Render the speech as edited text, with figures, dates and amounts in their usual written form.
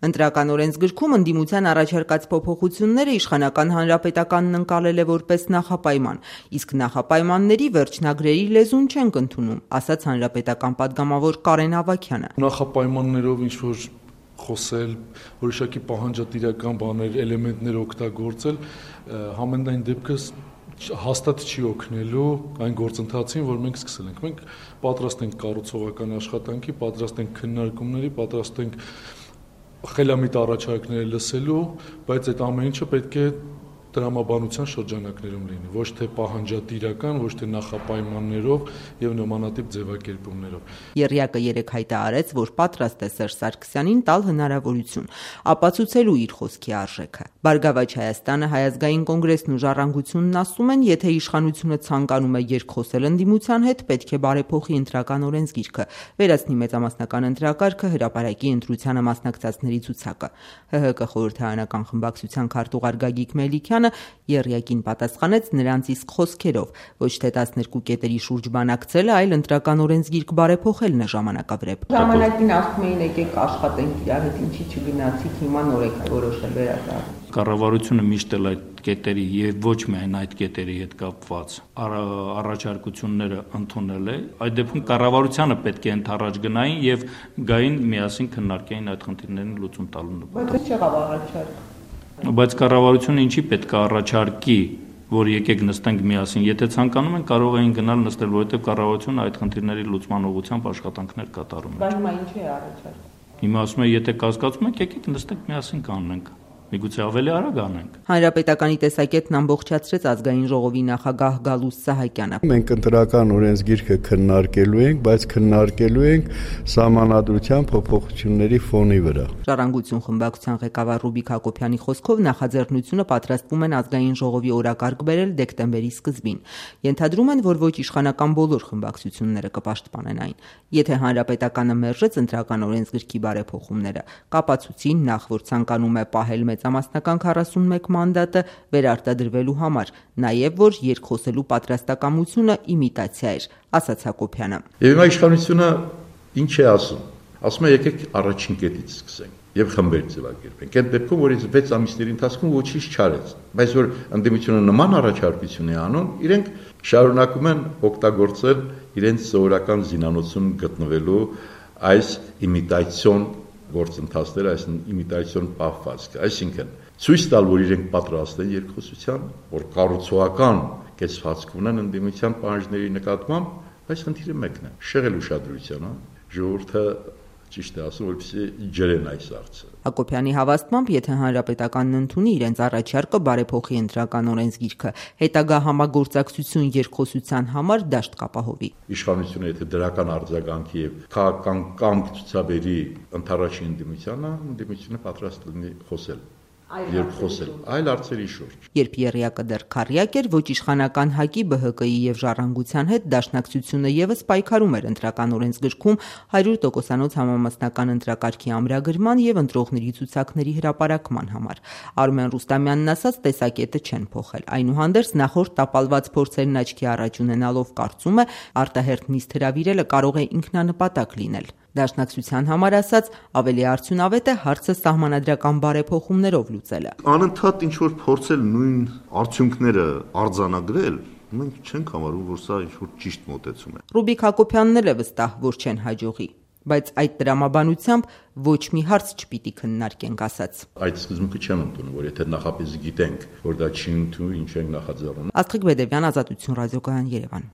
Ընտրական օրենսգրքում ընդդիմության առաջարկած փոփոխությունները իշխանական հանրապետականն ընկալել է որպես նախապայման, իսկ նախապայմանների վերջնագրերի լեզուն չենք ընդունում, ասաց հանրապետական պատգամավոր Կարեն Ավագյանը։ Նախապայմաններով ինչ-որ խոսել, որոշակի պահանջատիրական բաներ, էլեմենտներ օգտագործել, համենայն դեպքս հաստատ չի օգնելու այն գործընթացին, որ մենք սկսել ենք։ Մենք պատրաստ ենք կառուցողական աշխատանքի, պատրաստ ենք քննարկումների, պատրաստ ենք խելամիտ առաջարկները լսելու, բայց այդ ամեն ինչը պետք է տրամաբանության շրջանակներում լինի, ոչ թե պահանջատիրական, ոչ թե նախապայմաններով եւ նմանատիպ ձևակերպումներով։ Եռյակը երեք հայտարարեց, որ պատրաստ է Սերժ Սարգսյանին տալ հնարավորություն ապացուցելու իր խոսքի արժեքը։ Բարգավաճ Հայաստանը, Հայ ազգային կոնգրեսն ու Ժառանգությունն ասում են, եթե իշխանությունը ցանկանում է երկխոսել ընդդիմության հետ, պետք է բարեփոխի ընտրական օրենսգիրքը, վերացնի մեծամասնական ընտրակարգը, հրապարակի ընտրությանը մասնակցածների ցուցակը։ ՀՀԿ խորհրդարանական խմբակցության քարտուղար Գագիկ Մելիքյանը եռյակին պատասխանեց նրանց իսկ խոսքերով, ոչ թե 12 կետերի շուրջ բանակցելը, այլ ընտրական օրենսգիրք բարեփոխելն է ժամանակավրեպ։ Ժամանակին ասում էին եկեք աշխատենք իրար հետ, ինչի չգնացիք, հիմա նոր եք որոշել վերադառնալ։ Կառավարությունը միշտ էլ այդ կետերի եւ ոչ միայն այդ կետերի հետ կապված առաջարկությունները ընդունել է։ Այդ դեպքում կառավարությանը պետք է ընդառաջ գնային եւ գային միասին քննարկեին այդ խնդիրներին լուծում տալու նպատակով։ Բայց չեղավ առաջարկ։ Բայց կառավարությունը ինչի պետք է առաջարկի, որ եկեք նստենք միասին, եթե ցանկանում են կարող էին գնալ նստել, որովհետեւ կառավարությունը այդ խնդիրների լուծման ուղղությամբ աշխատանքներ կատարում է։ Բայց հիմա ինչ է առաջարկում։ Հիմա ասում է, եթե կասկածում եք, եկեք նստենք միասին կանենք։ Միգուցե ավելի արագ անենք։ Հանրապետականի տեսակետն ամբողջացրեց ազգային ժողովի նախագահ Գալուստ Սահակյանը։ Մենք ընտրական օրենսգիրքը քննարկելու ենք, բայց քննարկելու ենք սահմանադրության փոփոխությունների ֆոնի վրա։ Ժառանգություն խմբակցության ղեկավար Ռուբիկ Հակոբյանի խոսքով նախաձեռնությունը պատրաստվում են ազգային ժողովի օրակարգ բերել դեկտեմբերի սկզբին։ Ենթադրում են, որ ոչ իշխանական բոլոր խմբակցությունները կպաշտպանեն այն։ Եթե հանրապետականը մերժեց ընտրական օրենսգրքի բարեփոխումները, կապացուցին նախ, որ ցանկանում է պահել մեծամասնական 41 մանդատը վերարտադրվելու համար, նաև որ երկխոսելու պատրաստակամությունը իմիտացիա էր, ասաց Հակոբյանը։ Եվ հիմա իշխանությունը ինչ է ասում։ Ասում է եկեք առաջին կետից սկսենք եւ խմբեր ձևակերպենք։ Այդ դեպքում որ 6 ամիսների ընթացքում ոչինչ չարեց, բայց որ ընդդիմությունը նման առաջարկություն է անում, իրենք շարունակում են օգտագործել իրենց սովորական զինանոցում գտնվելու այս իմիտացիոն գործընթացները, այս իմիտացիոն պահվածքը, այսինքն ցույց տալ, որ իրենք պատրաստ են երկխոսության, որ կառուցողական կեցվածք ունեն ընդդիմության պահանջների նկատմամբ, այս խնդիրը մեկն է՝ շեղել ուշադրությունը, ժողովուրդը ճիշտ է ասում, որպեսզի ջրեն այս հարցը։ Հակոբյանի հավաստմամբ, եթե հանրապետականն ընդունի իրենց առաջարկը բարեփոխի ընտրական օրենսգիրքը, հետագա համագործակցություն երկխոսության համար դաշտ կապահովի։ Իշխանությունը եթե դրական արձագանքի եւ քաղաքական կամք ցուցաբերի ընդառաջին ընդդիմությունը պատրաստ լինի խոսել։ Երբ խոսել այլ հարցերի շուրջ։ Երբ եռյակը դեռ քառյակ էր, ոչ իշխանական ՀԱԿ-ի, ԲՀԿ-ի եւ Ժառանգության հետ դաշնակցությունը եւս պայքարում էր ընտրական օրենսգրքում 100%-անոց համամասնական ընտրակարգի ամրագրման եւ ընտրողների ցուցակների հրապարակման համար։ Արմեն Ռուստամյանն ասաց, տեսակետը չեն փոխել։ Այնուհանդերձ նախորդ տապալված փորձերն աչքի առաջ ունենալով կարծում է, արտահերթ նիստ հրավիրելը կարող է ինքնանպատակ լինել։ Դաշնակցության համար ասած, ավելի արդյունավետ է հարցը սահմանադրական բարեփոխումներով լուծելը։ Անընդհատ ինչ որ փորձել նույն արդյունքները արձանագրել, մենք չենք համարում, որ սա ինչ որ ճիշտ մոտեցում է։ Ռուբիկ Հակոբյանն էլ է վստահ, որ չեն հաջողի, բայց այդ տրամաբանությամբ ոչ մի հարց չպիտի քննարկենք, ասաց։ Այդ սկզբունքը չեմ ընդունում, որ եթե նախապես գիտենք, որ դա չի ընդունվում, ինչ ենք նախաձեռնում։ Աստղիկ Բեդևյան, Ազատություն ռադիոկայան, Երևան։